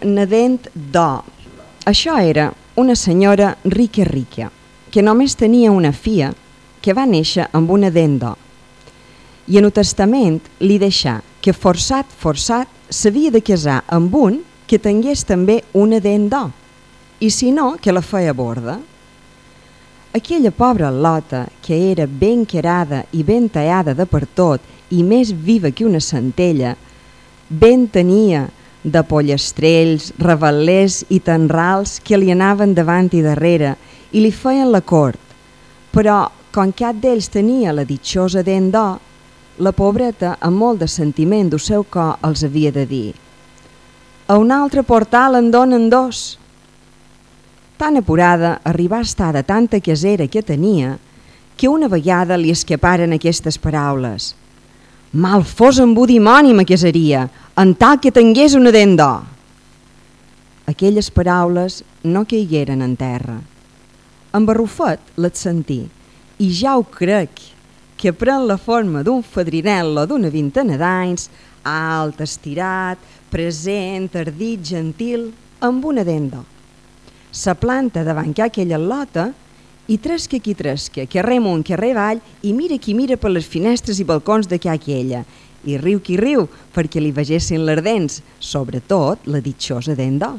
Nadent d'or. Això era una senyora rica, que només tenia una filla que va néixer amb una dent d'or. I en el testament li deixà que forçat s'havia de casar amb un que tingués també una dent d'or, i si no, que la feia borda. Aquella pobra Lota, que era ben querada i ben tallada de per tot i més viva que una centella, ben tenia de pollastrells, revetllers i tanrals que li anaven davant i darrere i li feien la cort, però com cap d'ells tenia la ditxosa dent d'or, la pobreta, amb molt de sentiment del seu cor, els havia de dir: a un altre portal en donen dos. Tan apurada arribà a estar de tanta casera que tenia que una vegada li escaparen aquestes paraules: mal fos amb un dimoni me casaria, en tal que tingués una dent d'or. Aquelles paraules no caigueren en terra. En Barrufet les sentí, i ja ho crec, que pren la forma d'un fadrinel·lo d'una vintena d'anys, alt, estirat, present, ardit, gentil, amb una dent d'or. Se planta davant aquella Lota i tresca qui tresca, carrer amunt, carrer avall, i mira qui mira per les finestres i balcons de aquella, i riu qui riu perquè li vegessin les dents, sobretot la ditxosa dent d'or.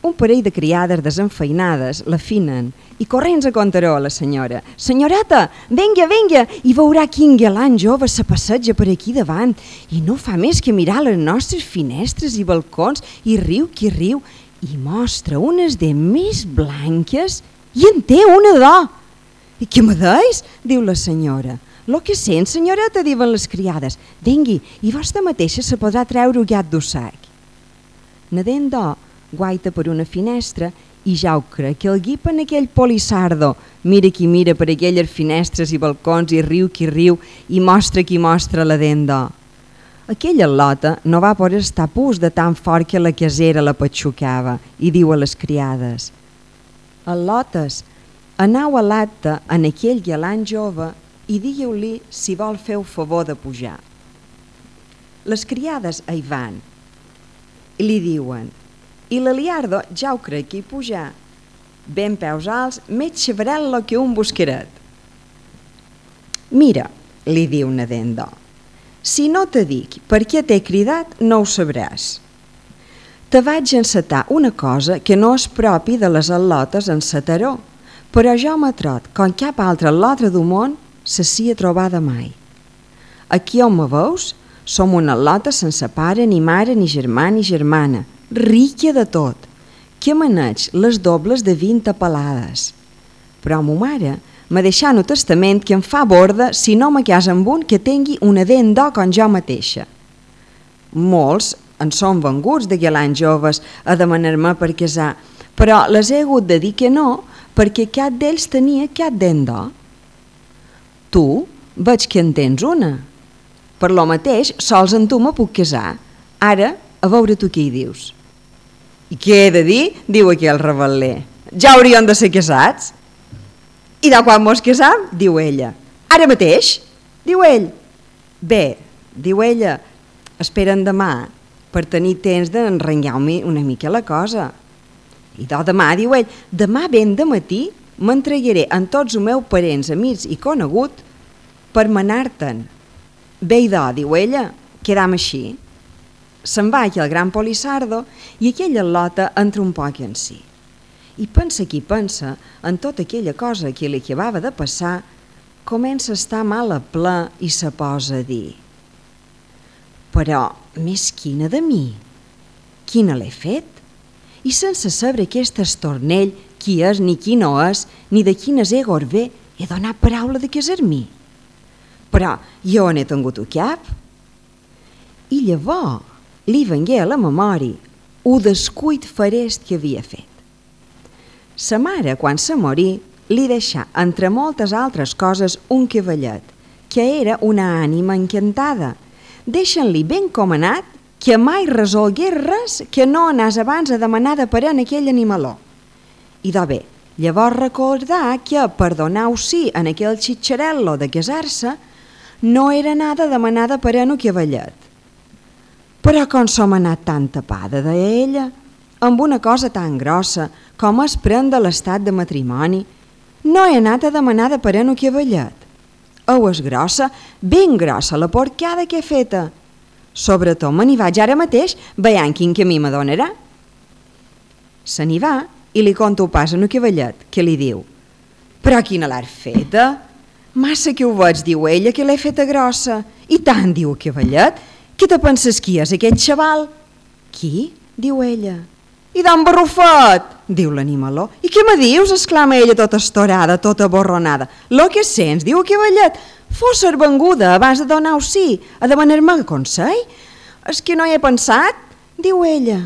Un parell de criades desenfeinades l'afinen i corrents a contaró a la senyora: senyoreta, venga, i veurà quin galant jove se passeja per aquí davant i no fa més que mirar les nostres finestres i balcons i riu qui riu i mostra unes dents més blanques i en té una d'or. I què me deis? Diu la senyora. Lo que sent, senyoreta, diuen les criades. Vengui, i vostra mateixa se podrà treure el gat d'ossac. Nadent d'or guaita per una finestra i ja ho crec que el guipen aquell polissardo. Mira qui mira per aquelles finestres i balcons i riu qui riu i mostra qui mostra la dent d'or. Aquella Lota no va poder estar pus de tan fort que la casera la patxucava i diu a les criades: a Lotes, anau a l'acte en aquell galant jove i digueu-li si vol fer el favor de pujar. Les criades hi van i li diuen: i l'Eliardo ja ho crec que hi pujar, ben peus alts, més xavarel·lo que un bosqueret. Mira, li diu Nadent d'or, si no te dic per què t'he cridat, no ho sabràs. Te vaig encetar una cosa que no és propi de les al·lotes en Sataró, però jo m'he trot, com cap altra al·lotre del món, se sia trobada mai. Aquí on me veus, som una al·lota sense pare, ni mare, ni germà, ni germana, rica de tot, que maneig les dobles de 20 pelades. Però mo mare m'ha deixat el testament que em fa borda si no me casa amb un que tingui una dent d'or com jo mateixa. Molts en són venguts de galants joves a demanar-me per casar, però les he hagut de dir que no perquè cap d'ells tenia cap dent d'or. Tu veig que en tens una. Per lo mateix, sols en tu me puc casar. Ara, a veure tu què hi dius. I què he de dir? Diu aquell revetler. Ja hauríem de ser casats. I de quan mos casam? Diu ella. Ara mateix? Diu ell. Bé, diu ella, esperen demà per tenir temps d'enrengar-me una mica la cosa. I demà, diu ell, demà ben de matí m'entregaré en tots els meus parents, amics i conegut per manar-te'n. Bé, diu ella, quedam així. Se'n va aquí el gran polissardo i aquella Lota entra un poc en si. I pensa qui pensa en tota aquella cosa que li acabava de passar, comença a estar mal a ple i se posa a dir: però més quina de mi? Quina l'he fet? I sense saber aquest estornell qui és ni qui no és, ni de quines egor ve, he donat paraula de casar-m'hi. Però jo n'he tingut el cap. I llavors li vengué a la memòria el descuit farest que havia fet. Sa mare, quan se morí, li deixà, entre moltes altres coses, un cavallet, que era una ànima encantada, deixant-li ben comanat que mai resolgués res que no anàs abans a demanar de parer en aquell animaló. I bé, llavors recordar que per donar sí en aquell xitxarel·lo de casar-se no era nada demanar de parer en el cavallet. Però com som anat tan tapada, deia ella, amb una cosa tan grossa com es prendre l'estat de matrimoni, no he anat a demanar de parent o cavallet. Au és grossa, ben grossa la porcada que he feta. Sobretot me n'hi vaig ara mateix, veient quin camí me donarà. Se n'hi va i li conta pas a un cavallet, que li diu: però quina l'has feta? Massa que ho veig, diu ella, que l'he feta grossa. I tant, diu el cavallet, què te penses qui és aquest xaval? Qui? Diu ella. I d'en Barrufet, diu l'animaló. I què me dius? Exclama ella tota estorada, tota borronada. Lo que sents, diu el cavallet, fos ser venguda abans de donar-ho sí, a demanar-me consell? És que no hi he pensat, diu ella.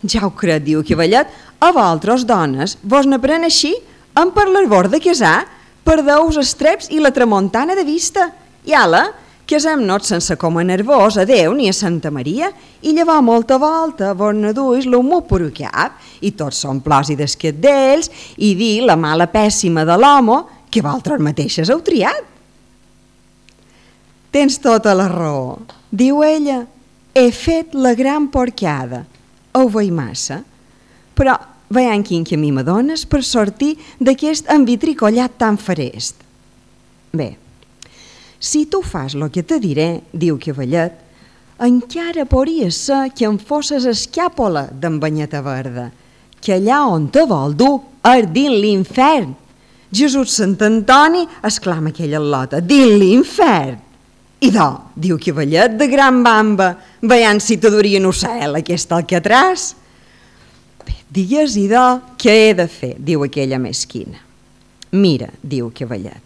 Ja ho crec, diu el cavallet, a vosaltres, dones, vos n'apren així, per l'arbor de casar, perdeu-vos els treps i la tramuntana de vista. I ala, casem-nos sense com a nervós a Déu ni a Santa Maria i llevar molta volta, vos ne duis l'humor per cap i tots són plors i desquet d'ells i dir la mala pèssima de l'home que vosaltres mateixes heu triat. Tens tota la raó, diu ella, he fet la gran porcada. Ho veig massa, però veiem quin camí me dones per sortir d'aquest envitricollat tan farest. Bé, si tu fas el que te diré, diu cavallet, encara podria ser que em fosses escàpola d'en Banyeta Verda, que allà on te vol dur és dins l'infern. Jesús Sant Antoni, exclama aquella al·lota, dins l'infern. I diu cavallet de gran bamba, veient si te duria en ocel aquest alcatràs. Bé, digues i què he de fer, diu aquella mesquina. Mira, diu cavallet,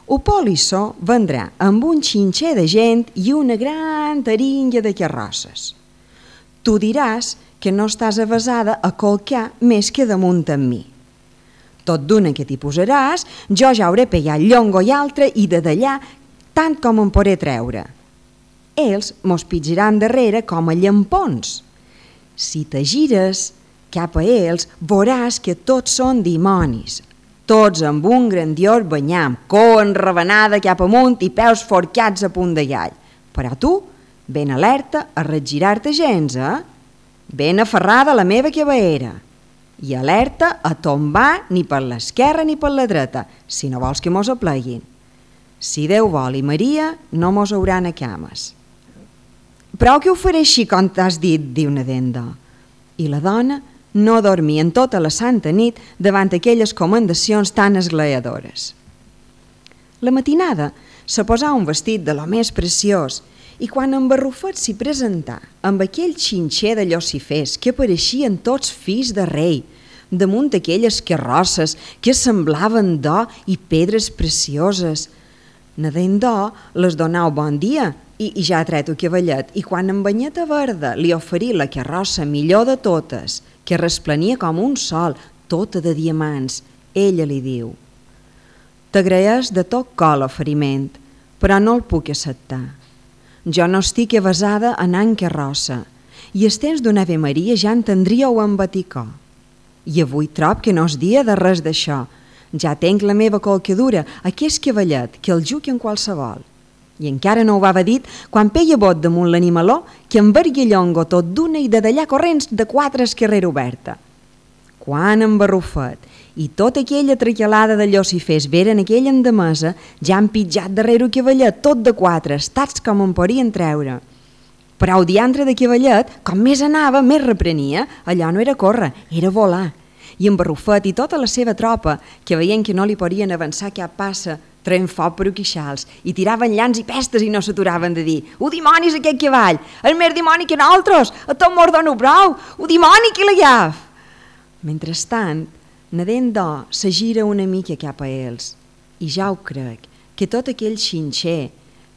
o polissó vendrà amb un xinxer de gent i una gran taringa de carrosses. Tu diràs que no estàs avesada a colcar més que damunt amb mi. Tot d'una que t'hi posaràs, jo ja hauré pegat llongo i altre i de d'allà tant com em podré treure. Ells mos pitjaran darrere com a llampons. Si te gires cap a ells, veuràs que tots són dimonis, tots amb un grandiós banyam, cua enravenada cap amunt i peus forcats a punt de gall. Però tu, ben alerta a regirar-te gens, ben aferrada a la meva cavaera i alerta a tombar ni per l'esquerra ni per la dreta, si no vols que mos apleguin. Si Déu vol i Maria, no mos hauran a cames. Prou que ho faré així com t'has dit, diu Nadenda. I la dona no dormia en tota la santa nit davant aquelles comendacions tan esglaadores. La matinada se posà un vestit de lo més preciós i quan en Barrufet s'hi presentà amb aquell xinxer de llossifers que pareixien tots fills de rei, damunt aquelles carrosses que semblaven d'or i pedres precioses, Nadendó les donau bon dia i ja ha tret el cavallet i quan en Banyeta Verda li oferí la carrossa millor de totes, que resplenia com un sol, tota de diamants, ella li diu: t'agraeix de tot cor l'oferiment, però no el puc acceptar. Jo no estic avesada a anar en carrossa i els temps d'una Ave Maria ja entendríeu en baticó. I avui trob que no és dia de res d'això. Ja tenc la meva colcadura, aquest cavallet, que el juc en qualsevol. I encara no ho va dit quan peia bot damunt l'animaló que envergui llongo tot d'una i de d'allà corrents de 4 carrera oberta. Quan en Barrufet i tota aquella traquelada de llossifers veren aquella endemesa, ja han pitjat darrere el cavallet tot de 4, estats com en podien treure. Però el diantre de cavallet, com més anava, més reprenia, allò no era córrer, era volar. I en Barrufet i tota la seva tropa, que veien que no li podien avançar cap passa, treien foc per quixals i tiraven llans i pestes i no s'aturaven de dir: «Ho dimonis aquest cavall! El més dimoni que nosaltres! A tot mos dono prou! Ho dimoni que l'agaf!» Mentrestant, Nadendó se gira una mica cap a ells i ja ho crec, que tot aquell xinxer,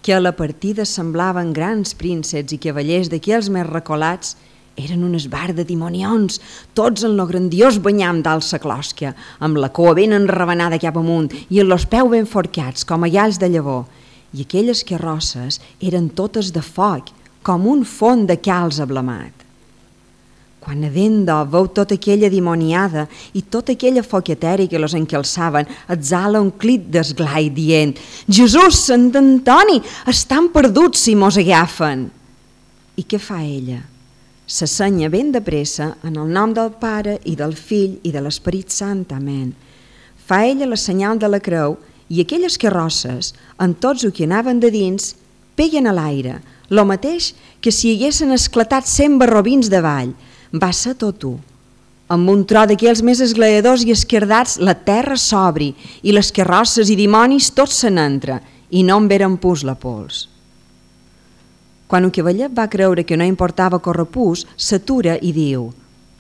que a la partida semblaven grans prínceps i cavallers d'aquells més recolats, eren un esbar de dimonions, tots en lo grandiós banyam d'alça clòsquia, amb la cua ben enravenada cap amunt i amb los peus ben forcats, com a galls de llavor. I aquelles carrosses eren totes de foc, com un font de calç ablamat. Quan Nadendó veu tota aquella dimoniada i tota aquella foquetera que los encalçaven, exhala un crit d'esglai dient: «Jesús, Sant Antoni, estan perduts si mos agafen!» I què fa ella? S'assenya ben de pressa en el nom del Pare i del Fill i de l'Esperit Sant. Amén. Fa ella la senyal de la creu i aquelles carrosses, en tots els que anaven de dins, peguen a l'aire, lo mateix que si haguessin esclatat 100 barrobins davall. Va ser tot u. Amb un tro d'aquells més esglaiadors i esquerdats, la terra s'obri i les carrosses i dimonis tots se n'entra i no en veren pus la pols. Quan un cavallet va creure que no importava córrer pus, s'atura i diu: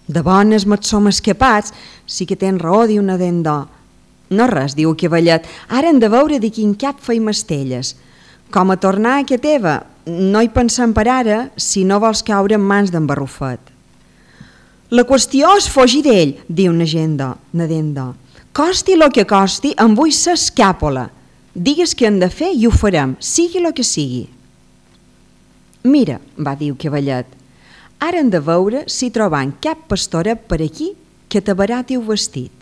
«De bones me't som escapats, sí que tens raó», diu Nadendó. «No res», diu el cavallet, «ara hem de veure de quin cap feim estelles. Com a tornar a que teva, no hi pensem per ara si no vols caure en mans d'en Barrufet». «La qüestió és fugir d'ell», diu Nadendó. «Costi lo que costi, em vull ser escàpola. Digues què hem de fer i ho farem, sigui lo que sigui». «Mira», va dir el cavallet, «ara hem de veure si trobam cap pastoret per aquí que t'abarati el vestit.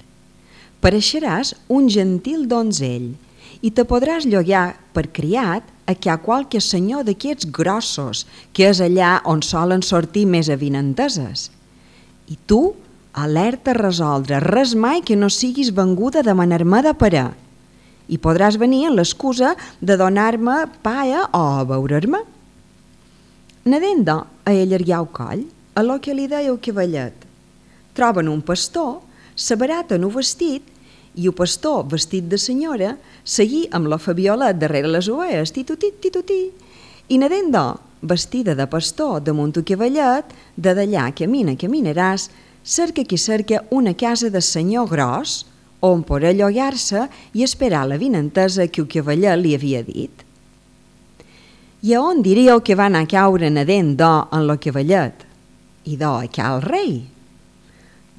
Pareixeràs un gentil donzell i te podràs llogar per criat a que hi ha qualque senyor d'aquests grossos, que és allà on solen sortir més avinenteses. I tu, alerta a resoldre res mai que no siguis venguda a demanar-me de parar. I podràs venir amb l'excusa de donar-me paia o a veurer-me». Nadendó a allargar el coll, a lo que li deia el cavallet. Troben un pastor, s'abaraten el vestit i el pastor, vestit de senyora, seguí amb la Fabiola darrere les ovelles, titutit, i Nadendó, vestida de pastor damunt el cavallet, de d'allà caminaràs, cerca qui cerca una casa de senyor gros, on podrà llogar-se i esperar la vinentesa que el cavallet li havia dit. I a on diríeu que va anar a caure Nadendó en lo cavallet? I do a cal rei.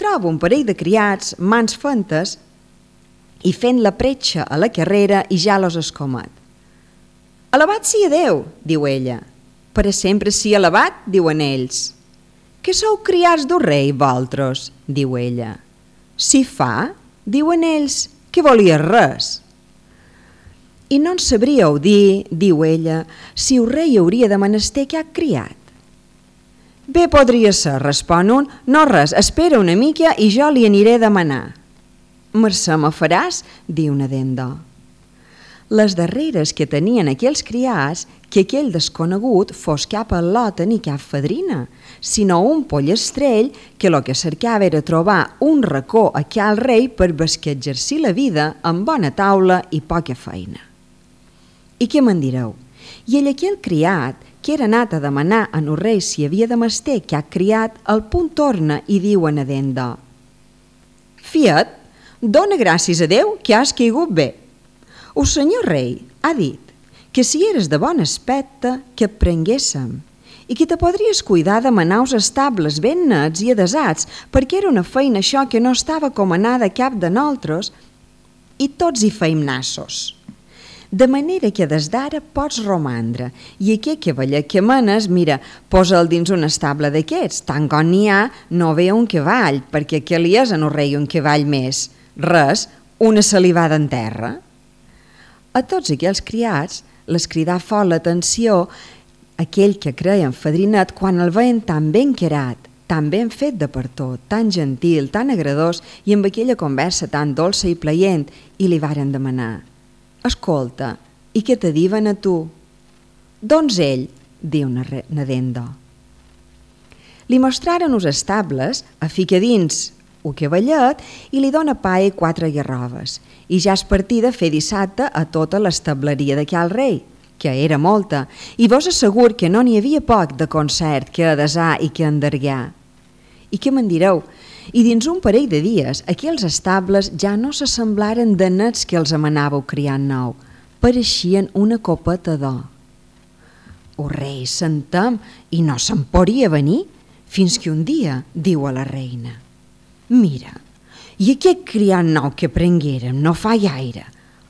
Troba un parell de criats, mans fentes, i fent la pretxa a la carrera i ja los escomet. «Alabat sia Déu», diu ella. «Per a sempre sia alabat», diuen ells. «Que sou criats d'un rei, vosaltres», diu ella. «Si fa», diuen ells, «que volia res». «I no en sabríeu dir», diu ella, «si el rei hauria de menester cap criat». «Bé podria ser», respon un, «no res, espera una mica i jo li aniré a demanar». «Mercè me faràs», diu Nadendó. Les darreres que tenien aquells criats, que aquell desconegut fos cap al·lota ni cap fadrina, sinó un pollestrell que lo que cercava era trobar un racó a cal rei per basquetjar-s'hi la vida amb bona taula i poca feina. I què me'n direu? I ell aquell criat, que era anat a demanar a el rei si havia de menester cap criat, al punt torna i diu a Nadendó: «Fiat, dona gràcies a Déu que has caigut bé. El senyor rei ha dit que si eres de bon aspecte que et prenguéssem i que te podries cuidar de manar els estables ben nets i adesats, perquè era una feina això que no estava comanada a cap de nosaltres i tots hi feim nassos. De manera que des d'ara pots romandre i aquest cavaller que manes, mira, posa'l dins un estable d'aquests, tant com n'hi ha, no ve un cavall, perquè què li és en el rei un cavall més? Res, una salivada en terra». A tots aquells criats les cridà fort l'atenció aquell que creien fadrinet quan el veien tan ben querat, tan ben fet de per tot, tan gentil, tan agradós i amb aquella conversa tan dolça i plaent, i li varen demanar: «Escolta, i què te diuen a tu?» «Doncs ell», diu Nadendó. Li mostraren els estables, a fica dins el cavallet i li dona pa i 4 garroves, i ja es partida a fer dissabte a tota l'estableria de cal rei, que era molta, i vos assegur que no n'hi havia poc de concert que adesar i que endergar. I què me'n direu? I dins un parell de dies, aquells estables ja no s'assemblaren de nets que els amanàveu criant nou, pareixien una copeta d'or. El rei s'entem i no se'n podia venir, fins que un dia diu a la reina: «Mira, i aquest criat nou que prenguérem no fa gaire,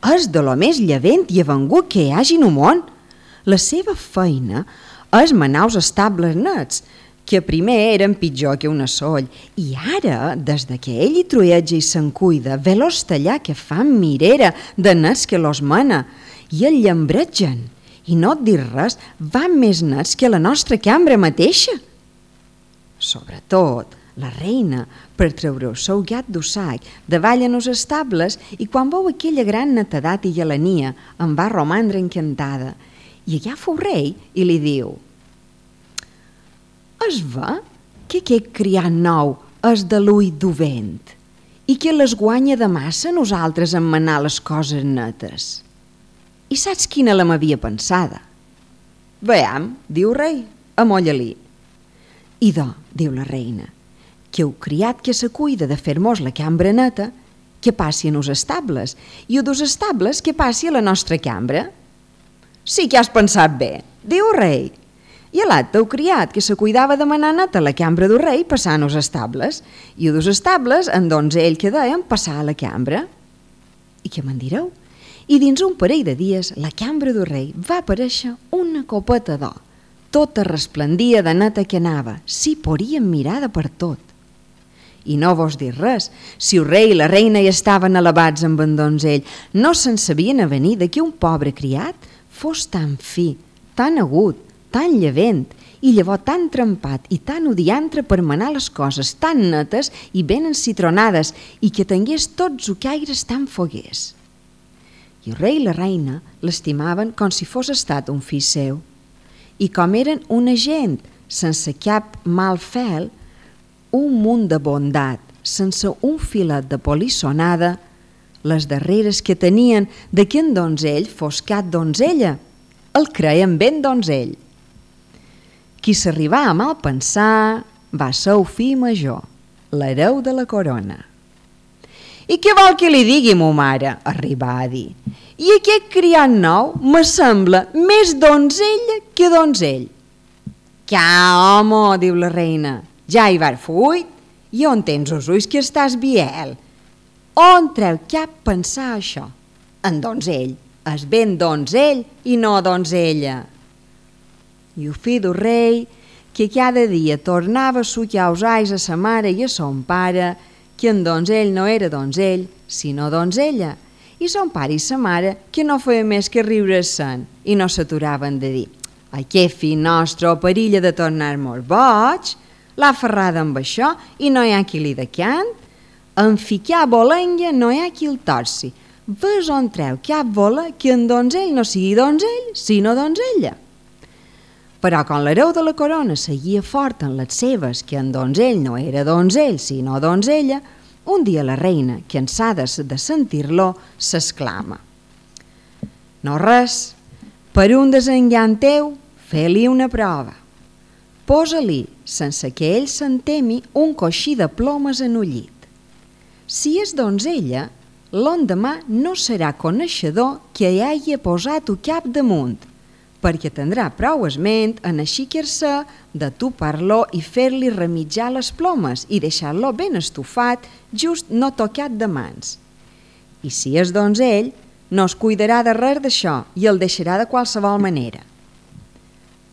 és de lo més llevent i avengut que hi hagi en el món. La seva feina és manar els estables nets, que primer eren pitjor que una soll, i ara, des que ell hi trueja i se'n cuida, ve-los tallar que fan mirera de nets que los mana, i el llambretgen, i no et dir res, van més nets que la nostra cambra mateixa. Sobretot, la reina, per treure el seu gat d'ussac davall en els estables, i quan veu aquella gran netedat i gelania, en va romandre encantada. I agafa el rei i li diu: es va que aquest criat nou és de l'ull d'ovent i que les guanya de massa nosaltres en manar les coses netes. I saps quina la m'havia pensada? Veam, diu rei, amolla-li. Idò, diu la reina, que heu criat que se cuida de fer-mos la cambra neta, que passi en els estables, i o dos estables que passi a la nostra cambra. Sí que has pensat bé, diu rei. I a l'altre heu criat que se cuidava de manar neta la cambra del rei passant els estables, i o dos estables en donzell que deien passar a la cambra. I què me'n direu? I dins un parell de dies la cambra del rei va aparèixer una copeta d'or. Tota resplendia de neta que anava, s'hi podien mirar de per tot. I no vos dir res, si el rei i la reina hi estaven elevats amb en donzell, no se'n sabien avenir de que un pobre criat fos tan fi, tan agut, tan llevent, i llavors tan trempat i tan odiantre per manar les coses tan netes i ben encitronades i que tingués tots els caires tan foguers. I el rei i la reina l'estimaven com si fos estat un fill seu. I com eren una gent sense cap mal fel, un munt de bondat, sense un filet de polissonada, les darreres que tenien de que en donzell fos cap donzella, el creien ben donzell. Qui s'arribà a mal pensar va ser el fill major, l'hereu de la corona. I què vol que li digui, mo mare? Arribà a dir. I aquest criat nou me sembla més donzella que donzell. Ca, home, diu la reina, ja hi va fuit, i on tens els ulls que estàs biel? On treu cap pensar això? En donzell, és ben donzell i no donzella. I el fill del rei, que cada dia tornava a sucar els ais a sa mare i a son pare, que en donzell no era donzell, sinó donzella, i son pare i sa mare que no feia més que riure-se'n i no s'aturaven de dir: aquest fill nostre o perilla de tornar-nos boig, l'ha ferrada amb això i no hi ha qui li decant, en ficar bolenga no hi ha qui el torci, ves on treu cap bola que en donzell no sigui donzell, sinó donzella. Però quan l'hereu de la corona seguia fort en les seves que en donzell no era donzell, sinó donzella, un dia la reina, cansada de sentir-lo, s'exclama: no res, per un desengany teu, fe-li una prova. Posa-li, sense que ell se'n temi, un coixí de plomes en el llit. Si és donzella, l'endemà no serà coneixedor que hi hagi posat el cap damunt, perquè tindrà prou esment en aixecar-se de topar-lo i fer-li remitjar les plomes i deixar-lo ben estufat, just no tocat de mans. I si és donzell, no es cuidarà de res d'això i el deixarà de qualsevol manera.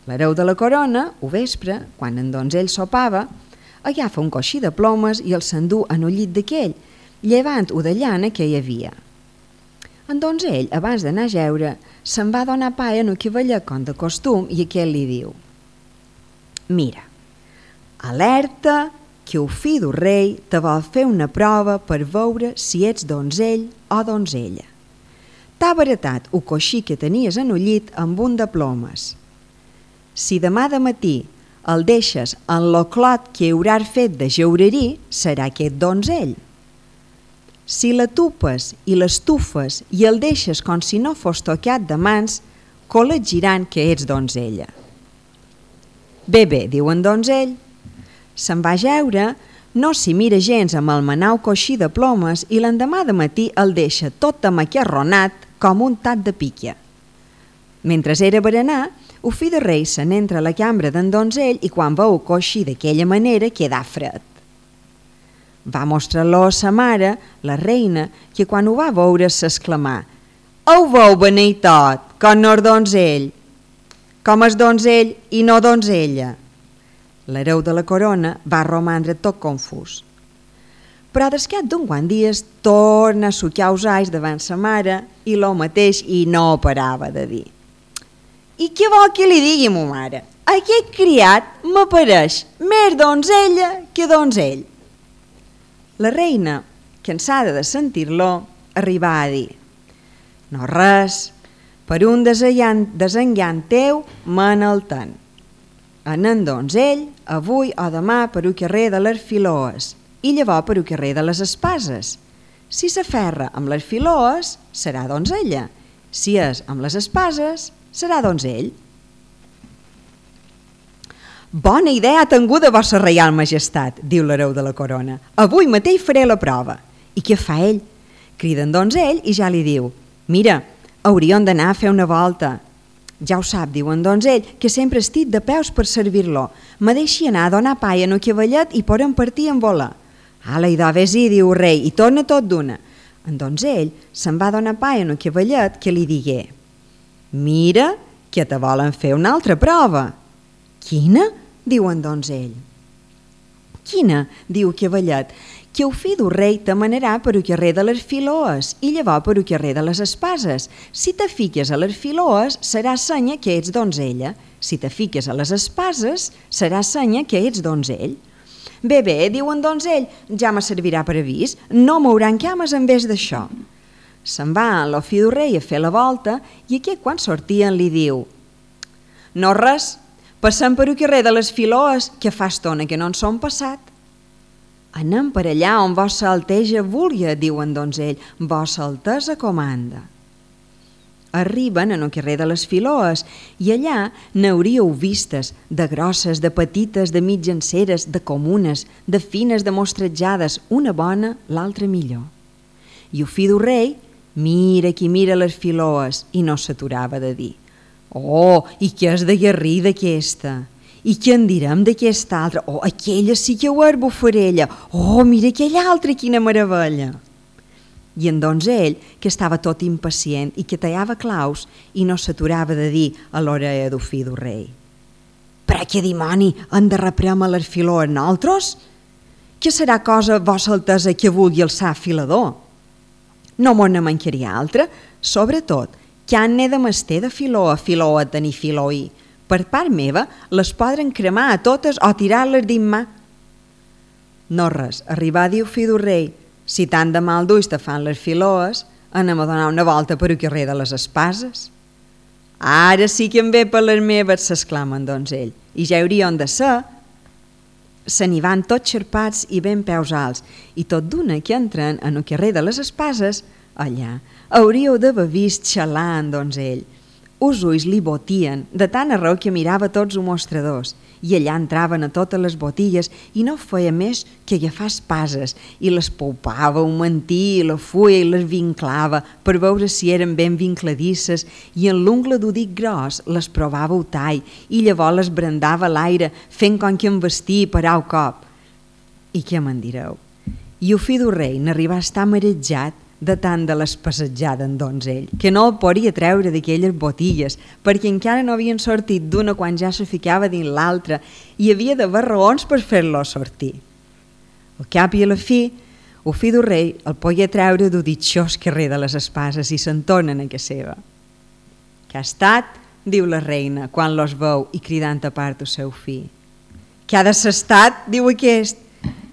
L'hereu de la corona, o vespre, quan en donzell sopava, agafa un coixí de plomes i el s'endú en el llit d'aquell, llevant-ho de llana que hi havia. En donzell, abans d'anar a jeure, se'n va donar paia en el cavallet com de costum i aquell li diu: mira, alerta que el fill del rei te vol fer una prova per veure si ets donzell o donzella. T'ha baratat el coixí que tenies en el llit amb un de plomes. Si demà de matí el deixes en lo clot que hauràs fet de jaurerí, serà aquest donzell. Si la tupes i l'estufes i el deixes com si no fos tocat de mans, col·legiran que ets donzella. Bé, diu en donzell. Se'n va a jeure, no s'hi mira gens amb el menau coixí de plomes i l'endemà de matí el deixa tot amacarronat com un tat de piquia. Mentre era berenar, el fill de rei se n'entra a la cambra d'en donzell i quan veu el coixí d'aquella manera quedà fred. Va mostrar-lo a sa mare, la reina, que quan ho va veure s'exclamà: ho veu venir tot, com no és donzell, com és donzell i no donzella. L'hereu de la corona va romandre tot confús. Però descat d'un quant dies torna a sucar els ais davant sa mare i lo mateix i no parava de dir: I què vol que li digui, ma mare? Aquest criat m'apareix més donzella que donzell. La reina, cansada de sentir-lo, arribà a dir: no res, per un desengant teu me'n ten. Anem donzell, avui o demà per un carrer de les Filoes i llavors per un carrer de les Espases. Si s'aferra amb les Filoes, serà donzella. Si és amb les Espases, serà donzell. Bona idea ha tingut de vostra reial majestat, diu l'hereu de la corona. Avui mateix faré la prova. I què fa ell? Crida en donzell i ja li diu: mira, hauríem d'anar a fer una volta. Ja ho sap, diu en donzell, que sempre estic de peus per servir-lo. Me deixi anar a donar pa en el cavallet i podem partir en volar. Ala, idò, vés-hi, diu el rei, i torna tot d'una. En donzell se'n va donar pa en el cavallet que li digué: mira, que te volen fer una altra prova. Quina? Diu en donzell. Quina? Diu el cavallet. Que el fill del rei te manarà per el carrer de les Filoes i llavors per el carrer de les Espases. Si te fiques a les Filoes, serà senya que ets donzella. Si te fiques a les Espases, serà senya que ets donzell. Bé, diu en donzell, ja me servirà per avís, no mouran cames en vez d'això. Se'n va en el fill del rei a fer la volta i aquest quan sortien li diu: no res, passem per el carrer de les Filoes, que fa estona que no en som passat. Anem per allà on vossa alteja vulgui, diu en donzell, vossa altesa comanda. Arriben en el carrer de les Filoes i allà n'hauríeu vistes de grosses, de petites, de mitjanceres, de comunes, de fines, de mostratjades, una bona, l'altra millor. I el fill del rei mira qui mira les Filoes i no s'aturava de dir: oh, i què és de guerrida aquesta? I què en direm d'aquesta altra? Oh, aquella sí que ho és bufarella. Oh, mira aquella altra, quina meravella. I en donzell, que estava tot impacient i que tallava claus i no s'aturava de dir a l'orella del fill del rei: per a què dimoni han de reprendre les Filoes nosaltres? Què serà cosa, vossa altesa, que vulgui alçar filador? No mos ne mancaria altra, sobretot, que han de mester de filó a tenir filoí. Per part meva, les podran cremar a totes o tirar-les dins mà. No res, arribar a dir fill del rei: si tant de mal d'ulls te fan les Filoes, anem a donar una volta per el carrer de les Espases. Ara sí que em ve per les meves, s'exclama en donzell, i ja hauríem de ser. Se n'hi van tots xerpats i ben peus alts, i tot d'una que entren en el carrer de les Espases, allà hauríeu d'haver vist xalar en donzell. Els ulls li botien, de tant arreu que mirava tots els mostradors, i allà entraven a totes les botilles i no feia més que agafar espases i les poupava, un mantí, la fulla i les vinclava per veure si eren ben vincladisses i en l'ungla d'u dit gros les provava el tall i llavors les brandava a l'aire fent com que en vestia per au cop. I què me'n direu? I el fill del rei n'arribà a estar marejat de tant de les passejades en donzell, que no el podia treure d'aquelles botilles, perquè encara no havien sortit d'una quan ja se ficava dins l'altra i havia d'haver raons per fer-lo sortir. Al cap i a la fi, el fill del rei el podia treure del ditxós carrer de les Espases i se'n tornen a casa seva. Què ha estat? Diu la reina, quan los veu i cridant a part el seu fill. Què ha de ser estat? Diu aquest,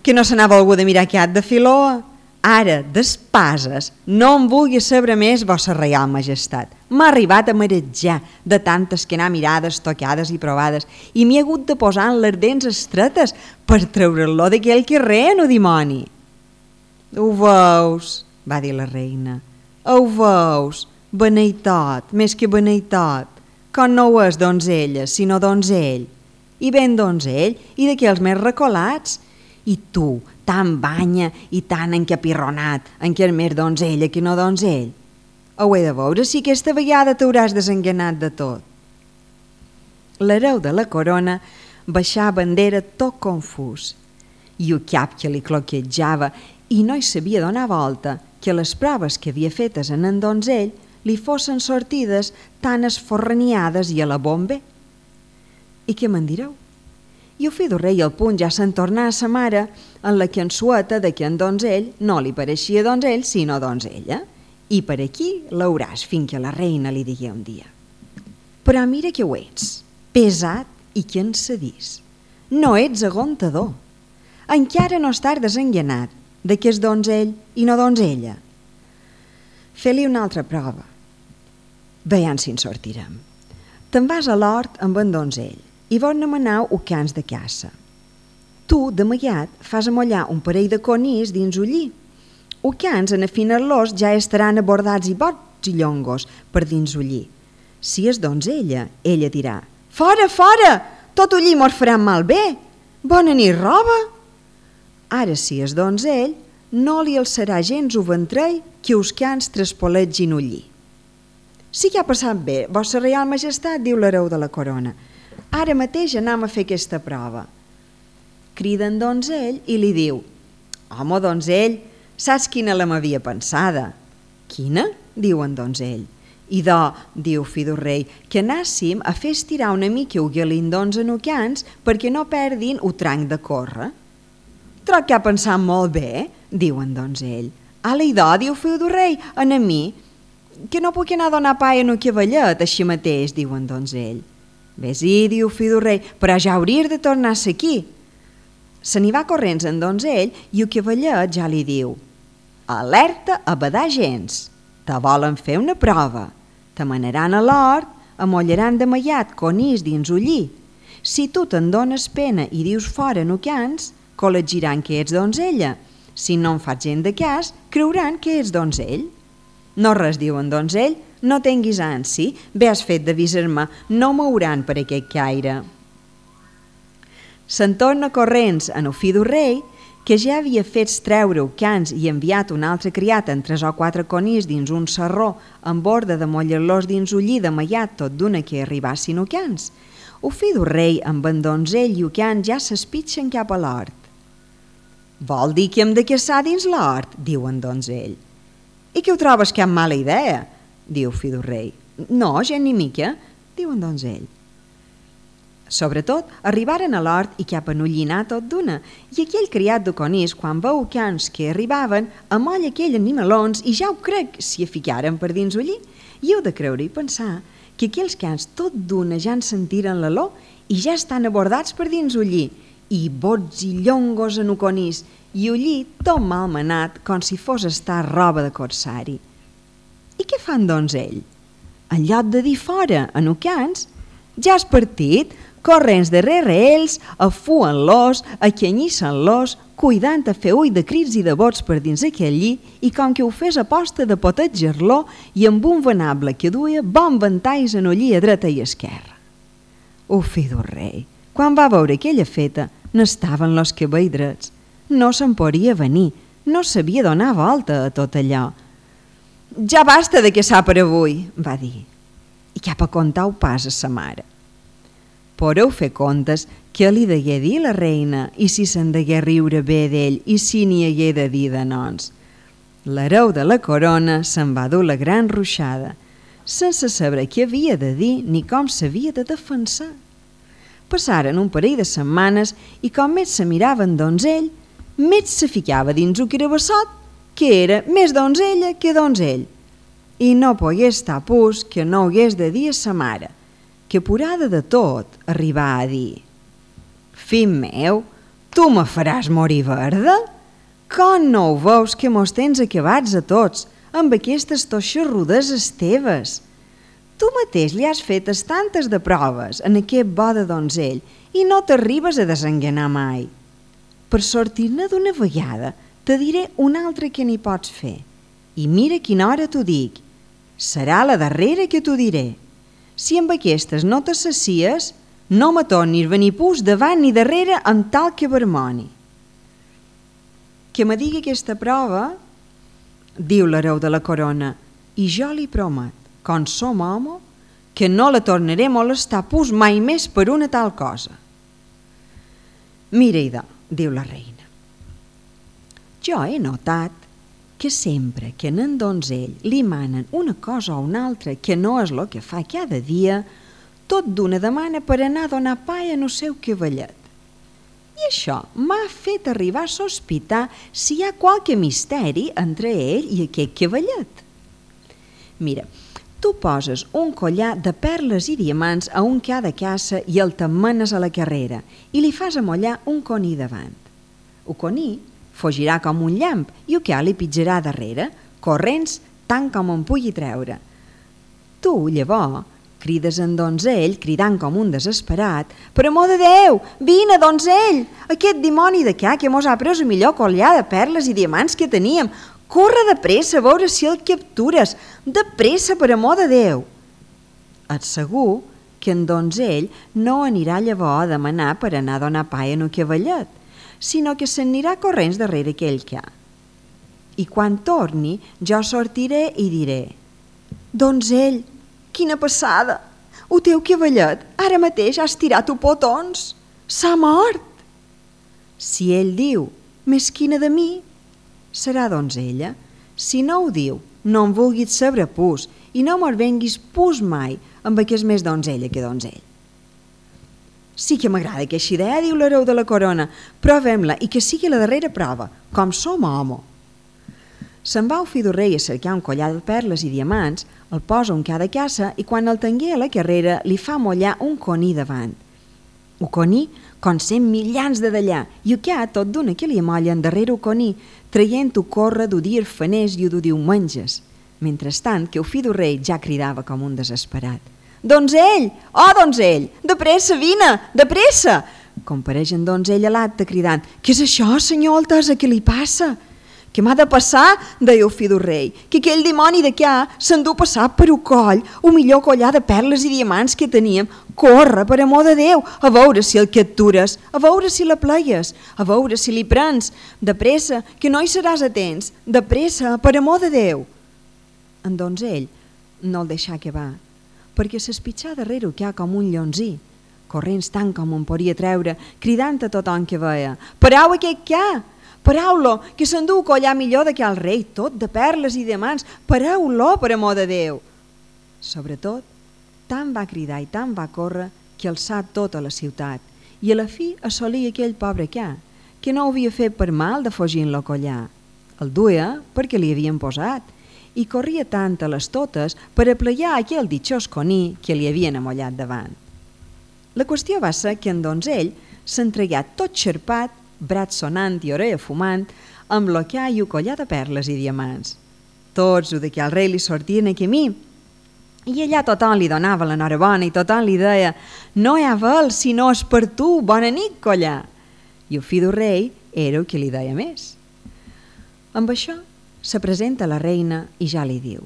que no se n'ha volgut de mirar aquest de Filoa. Ara, d'espases, no em vulgui saber més, vossa reial majestat. M'ha arribat a marejar de tantes que anar mirades, tocades i provades i m'hi ha hagut de posar en les dents estretes per treure-lo d'aquell carrer, no dimoni. Ho veus, va dir la reina. Ho veus, beneitot, més que beneitot, com no ho és donzella, sinó donzell. I ben donzell, i d'aquells més recolats. I tu, tan banya i tan encapirronat, en què és més donzella que no donzell. Ho he de veure si aquesta vegada t'hauràs desenganat de tot. L'hereu de la corona baixà bandera tot confús, i el cap que li cloquejava i no hi sabia donar volta que les proves que havia fetes en donzell li fossin sortides tan esforraniades i a la bombe. I què me'n direu? I el fill del rei al punt ja se'n tornà a sa mare en la cansueta de que en donzell no li pareixia donzell sinó donzella. I per aquí l'hauràs fins que la reina li digui un dia. Però mira que ho ets, pesat i cansadís. No ets aguantador. Encara no estàs desenganat de que és donzell i no donzella. Fes-li una altra prova. Veiem si en sortirem. Te'n vas a l'hort amb en donzell i vos n'amanau ucans de caça. Tu, d'amagat, fas amollar un parell de conills dins ullí. Ucans, en afinar-los, ja estaran abordats i bots i llongos per dins ullí. Si és donzella, ella dirà: «Fora, fora! Tot ullí mos farà malbé! Bona nit, roba!» Ara, si és donzell, no li alçarà gens o ventrell que us cans traspoletgin ullí. «Sí que ha passat bé, Vostra Reial Majestat», diu l'hereu de la corona. «Ara mateix anam a fer aquesta prova». Crida en donzell i li diu: «Home, donzell, saps quina la m'havia pensada?» «Quina?», diu en donzell. «Idò», diu fill del rei, «que anàssim a fer estirar una mica o galindons enucans perquè no perdin o tranc de córrer». «Troc que ha pensat molt bé», diu en donzell. «Ala, idò», diu fill del rei, «a mi, que no puc anar a donar pa en un cavallet així mateix», diu en donzell. «Ves-hi», diu fill del rei, «però ja hauries de tornar-se aquí». Se n'hi va corrents en donzell i el cavallet ja li diu: «Alerta a badar gens, te volen fer una prova, te manaran a l'hort, amollaran de mallat conills dins ullí. Si tu te'n dones pena i dius fora no cans, col·legiran que ets donzella. Si no en fas gent de cas, creuran que ets donzell». «No res», diu en donzell, «no tinguis ansi, bé has fet d'avisar-me, no mouran per aquest caire». Se'n torna corrents en el fill del rei, que ja havia fet treure cans i enviat un altre criat amb 3 o 4 conills dins un sarró amb ordre de mollar-los dins ullí de mallat tot d'una que arribassin cans. El fill del rei amb en donzell i cans ja s'espitxen cap a l'hort. «Vol dir que hem de caçar dins l'hort?», diu en donzell. «I que ho trobes cap mala idea?», diu fill del rei. «No, gent ni mica», diu en donzell. Sobretot, arribaren a l'hort i cap a enullinar tot d'una, i aquell criat de conills, quan veu cans que arribaven, amolla aquell animalons i ja ho crec si hi ficaren per dins ullí. I heu de creure i pensar que aquells cans tot d'una ja en sentiren l'olor i ja estan abordats per dins ullí, i bots i llongos en conills, i ullí tot malmenat com si fos estar roba de corsari. I què fan doncs ell? En lloc de dir fora en cans, ja has partit, corrents darrere ells, afuen-los, acanyissan-los, cuidant a fer ull de crits i de bots per dins aquell lli, i com que ho fes a posta de potetjar-lo i amb un venable que duia bon ventalls en ullí a dreta i esquerra. El fill del rei, quan va veure aquella feta, n'estaven los cabells drets. No se'n podia venir, no sabia donar volta a tot allò. «Ja basta de caçar per avui», va dir, i cap a contar-ho pas a sa mare. Podeu fer comptes què li degué dir la reina i si se'n degué riure bé d'ell i si n'hi hagué de dir de nons. L'hereu de la corona se'n va dur la gran ruixada, sense saber què havia de dir ni com s'havia de defensar. Passaren un parell de setmanes i com més se miraven donzell, més se ficava dins un carabassot, que era més donzella que donzell. I no pogué estar pus que no hagués de dir a sa mare, que apurada de tot arribà a dir: «Fill meu, tu me faràs morir verda? Com no ho veus que mos tens acabats a tots amb aquestes toixarrudeses teves? Tu mateix li has fetes tantes de proves en aquest bo de donzell i no t'arribes a desenganar mai. Per sortir-ne d'una vegada te diré una altra que n'hi pots fer. I mira quina hora t'ho dic. Serà la darrera que t'ho diré. Si amb aquestes no t'assacies, no me tornis venir pus davant ni darrere amb tal que vermoni». «Que me digui aquesta prova», diu l'hereu de la corona, «i jo li promet, com som home, que no la tornaré a molestar pus mai més per una tal cosa». «Mira, idò», diu la reina, «jo he notat que sempre que en donzell li manen una cosa o una altra que no és el que fa cada dia, tot d'una demana per anar a donar pa en el seu cavallet. I això m'ha fet arribar a sospitar si hi ha qualque misteri entre ell i aquest cavallet. Mira, Tu poses un collar de perles i diamants a un ca de caça i el t'emmenes a la carrera i li fas amollar un coní davant. El coní fugirà com un llamp i el ca li pitjarà darrere, corrents tant com en pugui treure. Tu, llavors, crides en donzell, cridant com un desesperat: «Per amor de Déu, vine, donzell! Aquest dimoni de ca que mos ha pres el millor collar de perles i diamants que teníem! Corre de pressa a veure si el captures! De pressa, per amor de Déu!» Et segur que en donzell no anirà llavors a demanar per anar a donar pa en el cavallet, sinó que s'anirà corrents darrere aquell ca. I quan torni, jo sortiré i diré: «Donzell, quina passada! El teu cavallet ara mateix ha estirat els potons! S'ha mort!» Si ell diu: «Mesquina de mi», serà donzella. Si no ho diu, no en vulguis saber pus i no me'l venguis pus mai amb que és més donzella que donzell. Sí que m'agrada aquesta idea, diu l'hereu de la corona. Provem-la i que sigui la darrera prova, com som home. Se'n va el fill del rei a cercar un collar de perles i diamants, el posa un ca de caça i quan el tingué a la carrera li fa mollar un coní davant. El coní, com 100 mitjans de d'allà, i el ca tot d'una que li amollen darrere el coní, traient-ho córrer d'ho dir faners i d'ho diumenges. Mentrestant, que el fill del rei ja cridava com un desesperat: «Donzell! Oh, donzell! De pressa, vine! De pressa!» Compareix en donzell a l'acte cridant: «Què és això, senyor Altesa? Què li passa?» «Què m'ha de passar?» deia el fill del rei. «Que aquell dimoni de ca s'endú passar per el coll el millor collar de perles i diamants que teníem. Corre, per amor de Déu, a veure si el captures, a veure si la pleies, a veure si li prens. De pressa, que no hi seràs a temps. De pressa, per amor de Déu!» En donzell no el deixà acabar, perquè s'espitxà darrere el ca com un llonzí, corrents tant com en podia treure, cridant a tothom que veia: «Parau aquest ca! Parau-lo, que s'endú el collar millor de que el rei, tot de perles i diamants! Parau-lo, per amor de Déu!» Sobretot, tant va cridar i tant va córrer que alçà tota la ciutat i a la fi assolí aquell pobre ca, que no ho havia fet per mal de fugir en lo collar. El duia perquè li havien posat i corria tant a les totes per apleiar aquell ditxós coní que li havien amollat davant. La qüestió va ser que en donzell s'entregà tot xerpat, brat sonant i orella fumant, amb lo ca i el collar de perles i diamants. Tots ho de que al rei li sortien a camí i allà tothom li donava l'enhorabona i tothom li deia: «No hi ha vel si no és per tu, bona nit, collar!» I el fill del rei era el que li deia més. Amb això se presenta la reina i ja li diu: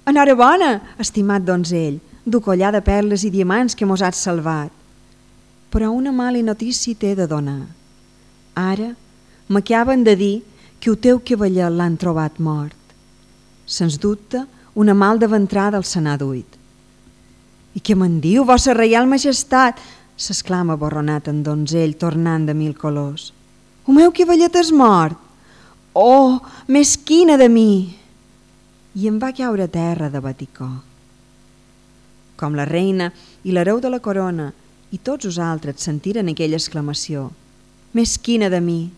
«Enhorabona, estimat donzell, du collar de perles i diamants que mos has salvat. Però una mala notícia t'he de donar. Ara m'acaben de dir que el teu cavaller l'han trobat mort. Sens dubte, una mal de ventrada el se n'ha duit». «I què me'n diu, vossa reial majestat?» s'exclama borronat en donzell, tornant de mil colors. «El meu cavallet és mort! Oh, mesquina de mi!» I em va caure a terra de baticó. Com la reina i l'hereu de la corona i tots els altres sentiren aquella exclamació: «Mesquina de mi!»,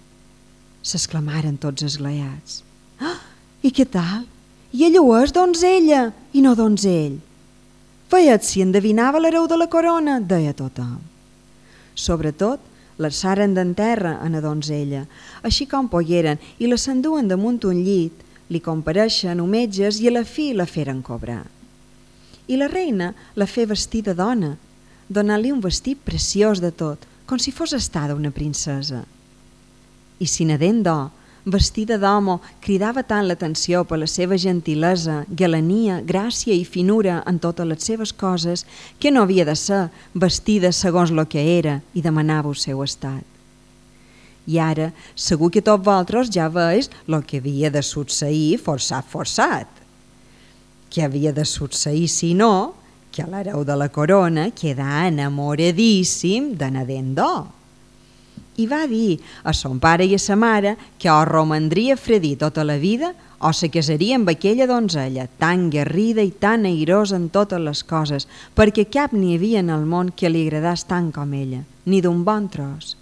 s'exclamaren tots esglaiats. «Ah, i què tal? I ella ho és, donzella, i no donzell?» «Veiet si endevinava l'hereu de la corona», deia tothom. Sobretot, l'alçaren d'en terra a la donzella, així com pogueren, i la s'enduen damunt un llit, li compareixen metges i a la fi la feren cobrar. I la reina la fe vestir de dona, donant-li un vestit preciós de tot, com si fos estada una princesa. I si nadent d'or, vestida d'homo, cridava tant l'atenció per la seva gentilesa, galania, gràcia i finura en totes les seves coses, que no havia de ser vestida segons lo que era i demanava el seu estat. I ara, segur que tots vosaltres ja veus lo que havia de succeir forçat. Què havia de succeir si no que l'hereu de la corona quedà enamoradíssim de nadent d'or. I va dir a son pare i a sa mare que o romandria fredí tota la vida o se casaria amb aquella donzella tan guerrida i tan airosa en totes les coses, perquè cap n'hi havia en el món que li agradàs tant com ella, ni d'un bon tros.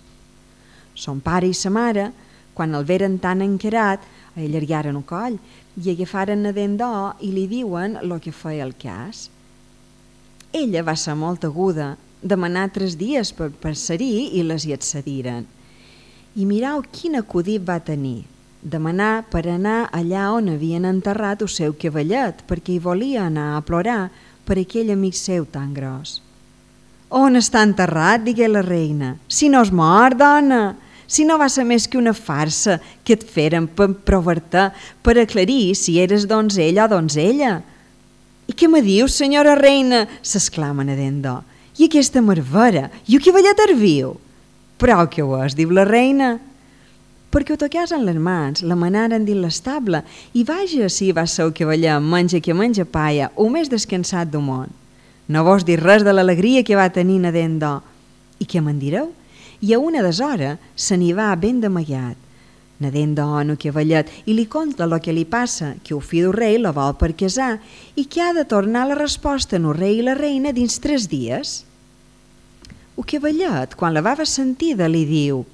Son pare i sa mare, quan el veren tan encarat, allargaren el coll i agafaren Nadén d'or i li diuen el que feia el cas. Ella va ser molt aguda, demanar 3 dies per ser-hi i les hi accediren. I mirau quin acudit va tenir, demanar per anar allà on havien enterrat el seu cavallet, perquè hi volia anar a plorar per aquell amic seu tan gros. «On està enterrat?», digué la reina. «Si no és mort, dona! Si no va ser més que una farsa que et feren per provar-te, per aclarir si eres donzella o donzella». «I què me dius, senyora reina?», s'exclama Nadén d'or. «I aquesta marvera? I el cavallet és viu?» «Però què ho és?», diu la reina. «Perquè ho toqués en les mans, la manaren dins l'estable i vaja si va ser el cavallet menja que menja palla o més descansat del món. No vos dir res de l'alegria que va tenir Nadén d'or. I què me'n direu? I a una deshora se n'hi va ben d'amagat. Nadén d'or en el cavallet i li conta el que li passa, que el fill del rei la vol per casar i que ha de tornar la resposta en el rei i la reina dins 3 dies. El cavallet, quan la va sentida, li diu: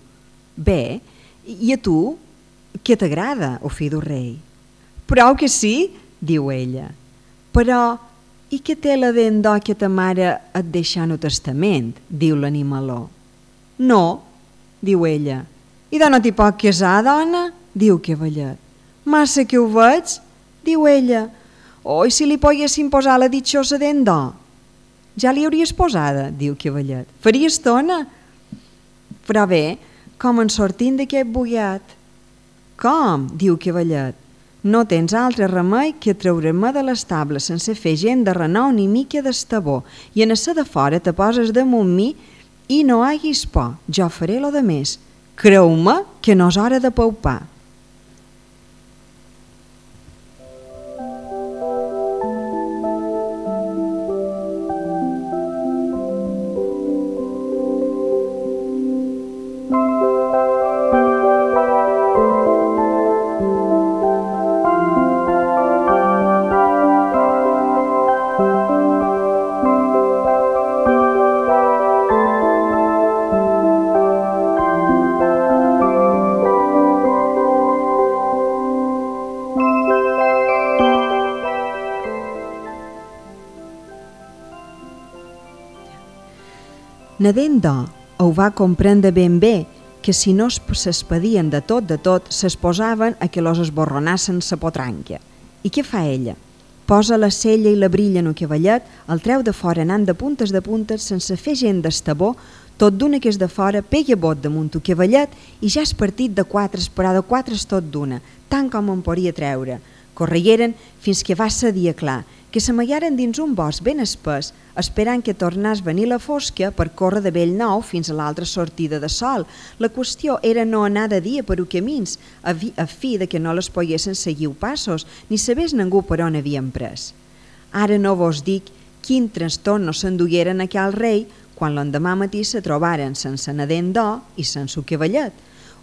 «Bé, i a tu, què t'agrada, el fill del rei?» «Prou que sí», diu ella. «Però, i què té la dent d'or que ta mare et deixa en el testament?», diu l'animaló. «No», diu ella. «I de no t'hi pot casar, dona?», diu el cavallet. «Massa que ho veig», diu ella. «Oh, i si li poguessin posar la ditxosa dent d'or?» «Ja li hauries posada», diu el cavallet. «Faria estona». «Però bé, com en sortim d'aquest bugat?» «Com?», diu el cavallet. «No tens altre remei que treure-me de l'estable sense fer gent de renou ni mica d'estabó i en essa de fora te poses damunt mi i no haguis por, jo faré lo de més. Creu-me que no és hora de paupar». Nadén d'or ho va comprendre ben bé, que si no s'espedien de tot, s'exposaven a que los esborronassen sa potranca. I què fa ella? Posa la cella i la brilla en el cavallet, el treu de fora anant de puntes, sense fer gent d'estabó, tot d'una que és de fora, pega bot damunt el cavallet i ja és partit de 4, però de 4 és tot d'una, tant com en podia treure. Corregueren fins que va ser dia clar, que s'amagaren dins un bosc ben espès, esperant que tornés venir la fosca per córrer de bell nou fins a l'altra sortida de sol. La qüestió era no anar de dia per camins, a fi de que no les poguessin seguir passos, ni sabés ningú per on havien pres. Ara no vos dic quin trastorn no s'endugueren a aquell rei quan l'endemà matí se trobaren sense Nadén d'or i sense el cavallet.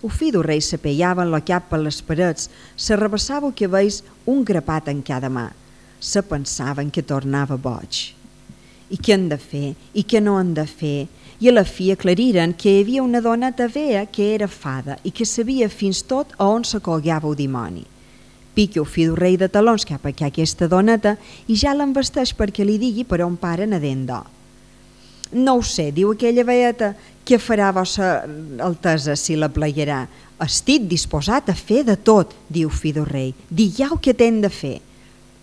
El fill del rei s'apeiava en el cap per les parets, se rebassava el cabells un grapat en cada mà. Se pensaven que tornava boig. I què han de fer? I què no han de fer? I a la fi aclariren que hi havia una doneta vea que era fada i que sabia fins tot a on se colgava el dimoni. Pica el fill del rei de talons cap a aquesta doneta i ja l'envesteix perquè li digui per on para Nadén d'or. «No ho sé», diu aquella veeta, «què farà vossa altesa si la plegarà? Estic disposat a fer de tot», diu fill del rei. «Digueu què t'hem de fer».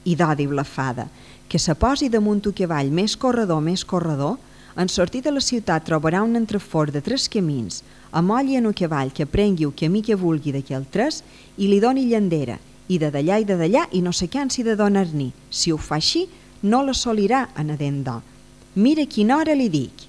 «I do», diu la fada, «que se posi damunt el cavall més corredor, en sortir de la ciutat trobarà un entrefort de 3 camins, amolli en el cavall que prengui el camí que vulgui d'aquell 3 i li doni llandera, i de d'allà i no se cansi de donar-n'hi. Si ho fa així, no l'assolirà a Nadén d'or. Mira quina hora li dic».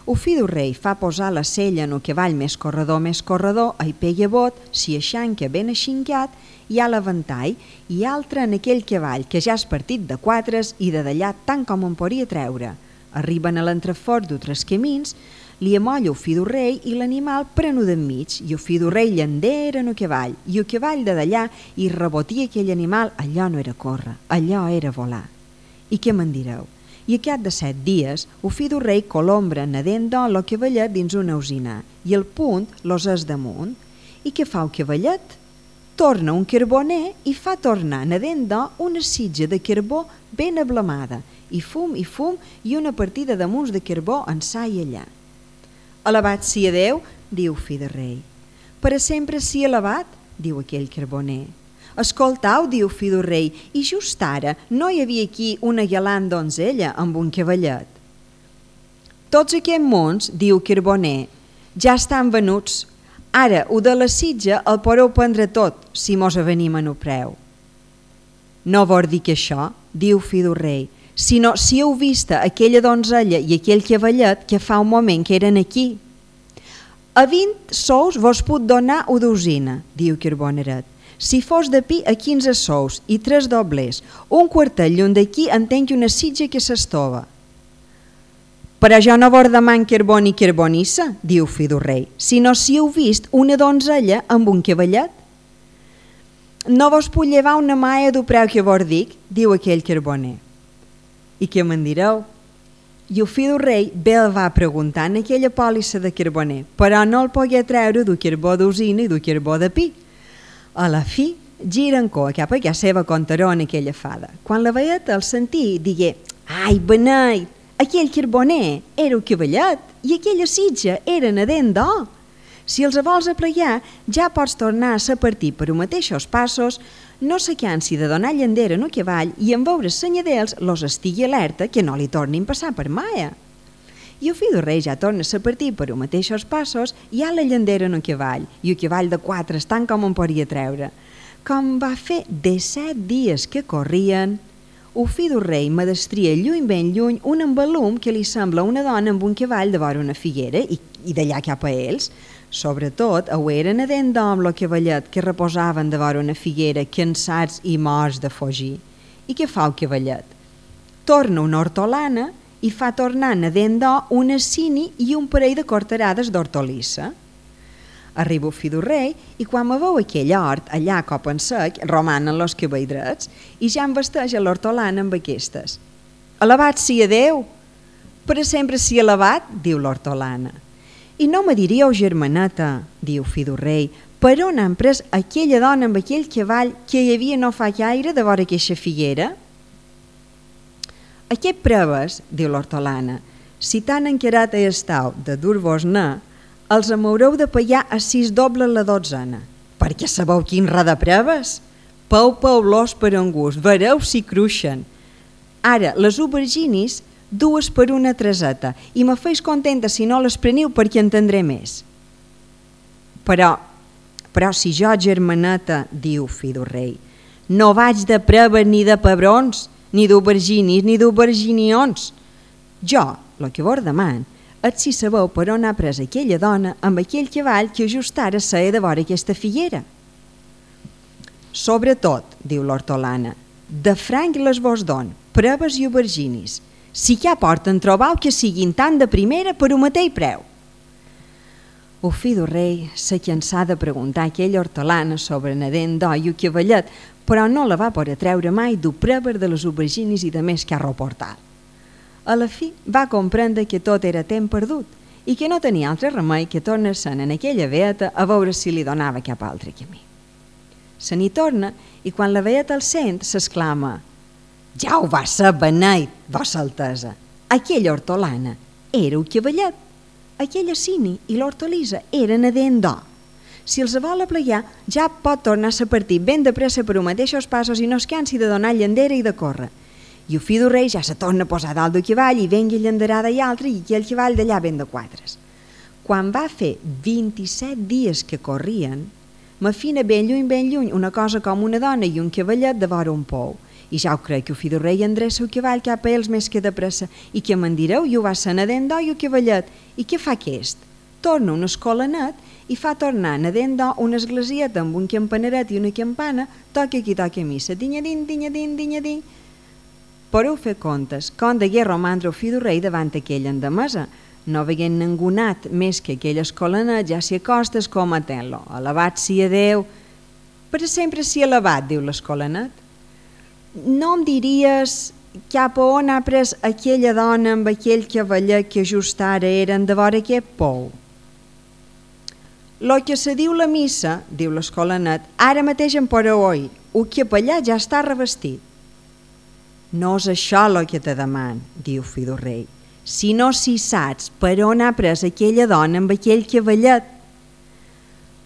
El fill del rei fa posar la sella en el cavall més corredor, hi pega bot, s'hi aixanca ben aixincat, hi ha l'aventall i altre en aquell cavall que ja és partit de 4 i de d'allà tant com en podria treure. Arriben a l'entrefort d'altres camins, li amolla el fill del rei i l'animal prenu d'enmig i el fill del rei llandera en el cavall i el cavall de d'allà i rebotia aquell animal. Allò no era córrer, allò era volar. I què me'n direu? I a cap de 7 dies, el fill del rei colombra Nadén d'or el cavallet dins una usina i el punt los és damunt. I què fa el cavallet? torna un carboner i fa tornar nadent d'or una sitja de carbó ben ablamada, i fum i una partida de mus de carbó ençà i allà. Alabat sia Déu, diu fill de rei. Per a sempre sia alabat, diu aquell carboner. Escoltau, diu fill del rei, i just ara no hi havia aquí una galant donzella amb un cavallet. Tots aquests mons, diu carboner, ja estan venuts. Ara, ho de la sitja el podeu prendre tot, si mos avenim en el preu. No vol dir que això, diu fill del rei, sinó si heu vista aquella donzella i aquell cavallet que fa un moment que eren aquí. A 20 sous vos puc donar una dosina, diu Carboneret. Si fos de pi a 15 sous i 3 doblers, un quartet lluny d'aquí entenc una sitja que s'estova. Però jo no vos deman carbó ni carbonissa, diu fill del rei, sinó si heu vist una donzella amb un cavallet. No vos puc llevar una maia del preu que vos dic, diu aquell carboner. I què me'n direu? I el fill del rei bé el va preguntar en aquella pòlissa de carboner, però no el pogué treure du carbó d'usina i du carbó de pi. A la fi, gira en cua cap a la seva contaró en aquella fada. Quan la veieta el sentí, digué: «Ai, beneit, aquell carboner era el cavallet i aquella sitja era nadent d'or. Si els vols aplegar, ja pots tornar a partir per els mateixos passos, no se cansi de donar llandera en el cavall i en veure senyadels los estigui alerta que no li tornin passar per maia». I el fill del rei ja torna a partir per els mateixos passos i ha la llandera en el cavall, i el cavall de 4 estan com en podria treure. Com va fer 17 dies que corrien, el fill del rei medestria lluny ben lluny un embalum que li sembla una dona amb un cavall de vora una figuera i d'allà cap a ells. Sobretot, ho eren nadent d'or amb el cavallet que reposaven de vora una figuera cansats i morts de fugir. I què fa el cavallet? Torna una hortolana i fa tornar nadent d'or una cini i un parell de cortarades d'hortolissa. Arriba el fill del rei i quan me veu aquell hort, allà a cop en sec, romanen los cabells drets i ja embesteix a l'hortolana amb aquestes. «Alabat sia Déu! Per a sempre sia alabat», diu l'hortolana. «I no me diríeu, germaneta», diu fill del rei, «per on han pres aquella dona amb aquell cavall que hi havia no fa gaire de vora aquesta figuera?» «Aquest proves», diu l'hortolana, «si tan encarat hi estàu de dur-vos-ne, els m'haureu de pagar a 6 dobles la dotzena. Perquè sabeu quin ra de proves? Peu-los per en gust, vereu si cruixen. Ara, les auberginis, 2 per una treseta, i me feis contenta si no les preniu perquè entendré més». Però si jo, germaneta, diu fill del rei, no vaig de proves ni de pebrons, ni d'auberginis, ni d'auberginions. Jo, el que vos deman, és si sabeu per on ha pres aquella dona amb aquell cavall que just ara seia de vora aquesta figuera. Sobretot, diu l'hortolana, de franc les vos don, proves i auberginis. Si ja porten, trobau que siguin tan de primera per un mateix preu. El fill del rei se cansà de preguntar a aquella hortolana sobre nadent d'or i el cavallet, però no la va poder treure mai dur proves de les auberginis i de més que ha reportat. A la fi va comprendre que tot era temps perdut i que no tenia altre remei que tornar-se'n en aquella veeta a veure si li donava cap altre camí. Se n'hi torna i quan la veeta el sent s'exclama: «Ja ho va ser beneit, vossa altesa! Aquella hortolana era el cavallet, aquella cini i l'hortolissa eren nadent d'or. Si els vol aplegar, ja pot tornar a partir ben de pressa per els mateixos passos i no es cansi de donar llandera i de córrer. I el fill del rei ja se torna a posar dalt del cavall i vengui llanderada i altra i aquell cavall d'allà ben de 4. Quan va fer 27 dies que corrien, m'afina ben lluny, una cosa com una dona i un cavallet de vora un pou. I ja ho crec que el fill del rei endreça el cavall cap a ells més que de pressa. I què me'n direu? I ho va ser nadent d'or i el cavallet. I què fa aquest? Torna un escolanet i fa tornar nadent d'or una esglesieta amb un campaneret i una campana, toca qui toca missa, dinyadin, dinyadin, dinyadin. Podeu fer comptes com degué romandre el fill del rei davant aquella endemesa. No veient ningú nat més que aquell escolanet, ja s'hi acosta escometent-lo. Alabat sia Déu! Per a sempre sia alabat, diu l'escolanet. No em diries cap a on ha pres aquella dona amb aquell cavallet que just ara eren de vora aquest pou? Lo que se diu la missa, diu l'escolanet, ara mateix en podeu oir, el capellà ja està revestit. No és això el que te deman, diu fill del rei, sinó si saps per on ha pres aquella dona amb aquell cavallet.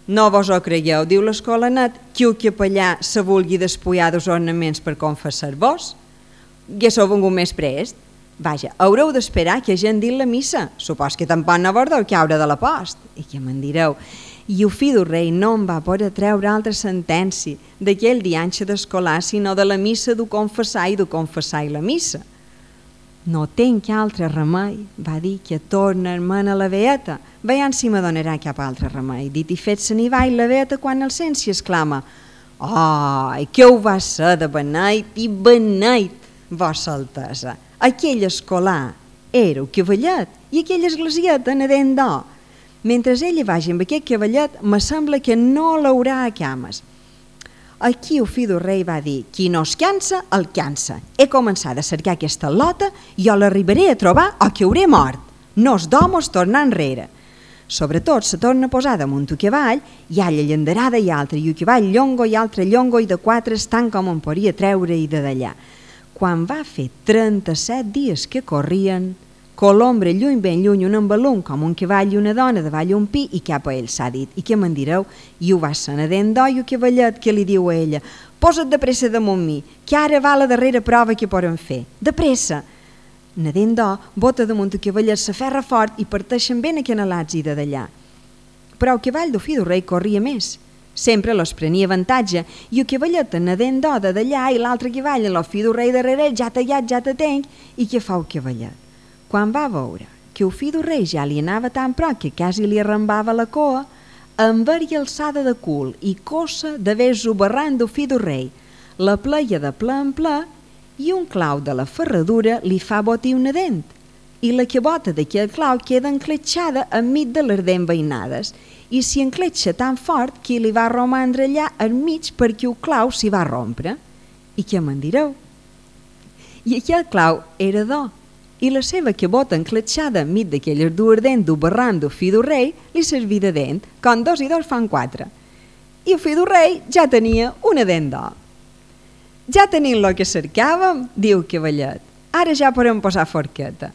No vos ho creieu, diu l'escolanet, que el capellà se vulgui despullar dels ornaments per confessar-vos? Haguéssiu vengut més prest? Vaja, haureu d'esperar que hagin dit la missa. Supos que tampoc no vos deu caure de la post. I que me'n direu? I el fill del rei no en va poder treure altra sentència d'aquell dianxe d'escolar, sinó de la missa d'ho confessar i la missa. No tenc altre remei, va dir, que tornar-me'n a la beata. Veiam si me donarà cap altre remei. Dit i fet, se n'hi va i la beata quan el sent s'hi exclama: «Ai, que ho va ser de beneit i beneit, vossa altesa! Aquell escolar era el cavallet i aquella esglesieta anadent d'or. Mentre ella vagi amb aquest cavallet, me sembla que no l'haurà a cames». Aquí el fill del rei va dir: «Qui no es cansa, el cansa. He començat a cercar aquesta lota i jo l'arribaré a trobar o que hauré mort. No es domos tornar enrere». Sobretot se torna a posar damunt el cavall i alla llanderada i altra, i el cavall llongo i altre llongo i de quatre tant com en podia treure-hi de d'allà. Quan va fer 37 dies que corrien, colombre lluny ben lluny un embalum com un cavall i una dona davall un pi i cap a ell s'ha dit: «I què me'n direu?» I ho va ser nadent d'or i el cavallet que li diu a ella: «Posa't de pressa damunt mi, que ara va la darrera prova que podem fer. De pressa!» Nadent d'or, bota damunt el cavallet, s'aferra fort i parteixen ben acanalats i de d'allà. Però el cavall del fill del rei corria més. Sempre los prenia avantatge, i el cavallet nadent d'or de d'allà i l'altre cavall amb el fill del rei darrere, ja tallat, ja te tenc, i què fa el cavallet? Quan va veure que el fill del rei ja li anava tan prop que quasi li arrambava la coa, enver-hi alçada de cul i coça de ves-ho barrant del fill del rei, la pleia de ple en ple, i un clau de la ferradura li fa botir una dent, i la cabota d'aquell clau queda encletxada enmig de les dents veïnades, i s'hi encletxa tan fort que li va romandre allà enmig perquè el clau s'hi va rompre. I què me'n direu? I aquell clau era d'or, i la seva cabota encletxada enmig d'aquelles dues dents del barran del fill del rei li servia de dent, com 2 i 2 fan 4. I el fill del rei ja tenia una dent d'or. «Ja tenim el que cercàvem», diu el cavallet. «Ara ja podem posar forqueta».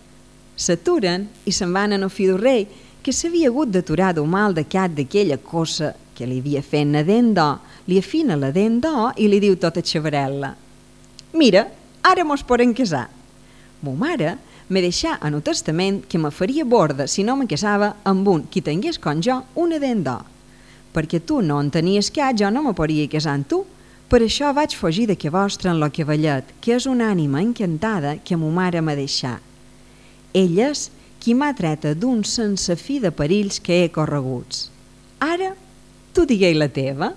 S'aturen i se'n van al fill del rei, que s'havia hagut d'aturar del mal de cap d'aquella cosa que li havia fet nadent d'or, li afina la dent d'or i li diu tota xavarel·la: «Mira, ara mos podem casar. Mo mare me deixà en el testament que me faria borda si no me casava amb un qui tingués com jo una dent d'or. Perquè tu no en tenies cap, jo no me podria casar amb tu. Per això vaig fugir de que vostre en lo cavallet, que és una ànima encantada que mo mare m'ha deixat. Ell és qui m'ha treta d'un sense fi de perills que he correguts. Ara, tu diguei la teva».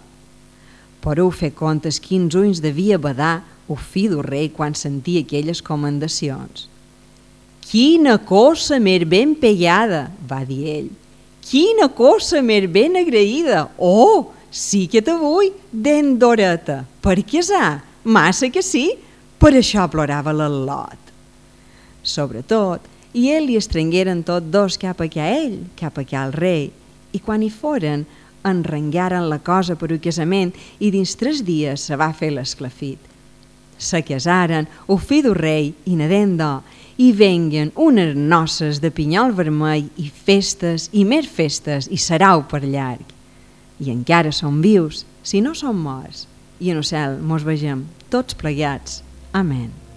Podeu fer comptes quins ulls devia badar el fill del rei quan sentia aquelles comendacions. «Quina cosa més ben pegada», va dir ell. «Quina cosa més ben agraïda! Oh, sí que te vull, dent d'oreta, per casar, massa que sí!» Per això plorava l'al·lot. Sobretot, i ell li estrengueren tots dos cap a ell, cap a el rei, i quan hi foren, enrengaren la cosa per un casament i dins 3 dies se va fer l'esclafit. Se casaren el fill del rei i nadent d'or, i venguen unes noces de pinyol vermell i festes i més festes i sarau per llarg. I encara som vius, si no som morts, i en el cel mos vegem tots plegats. Amén.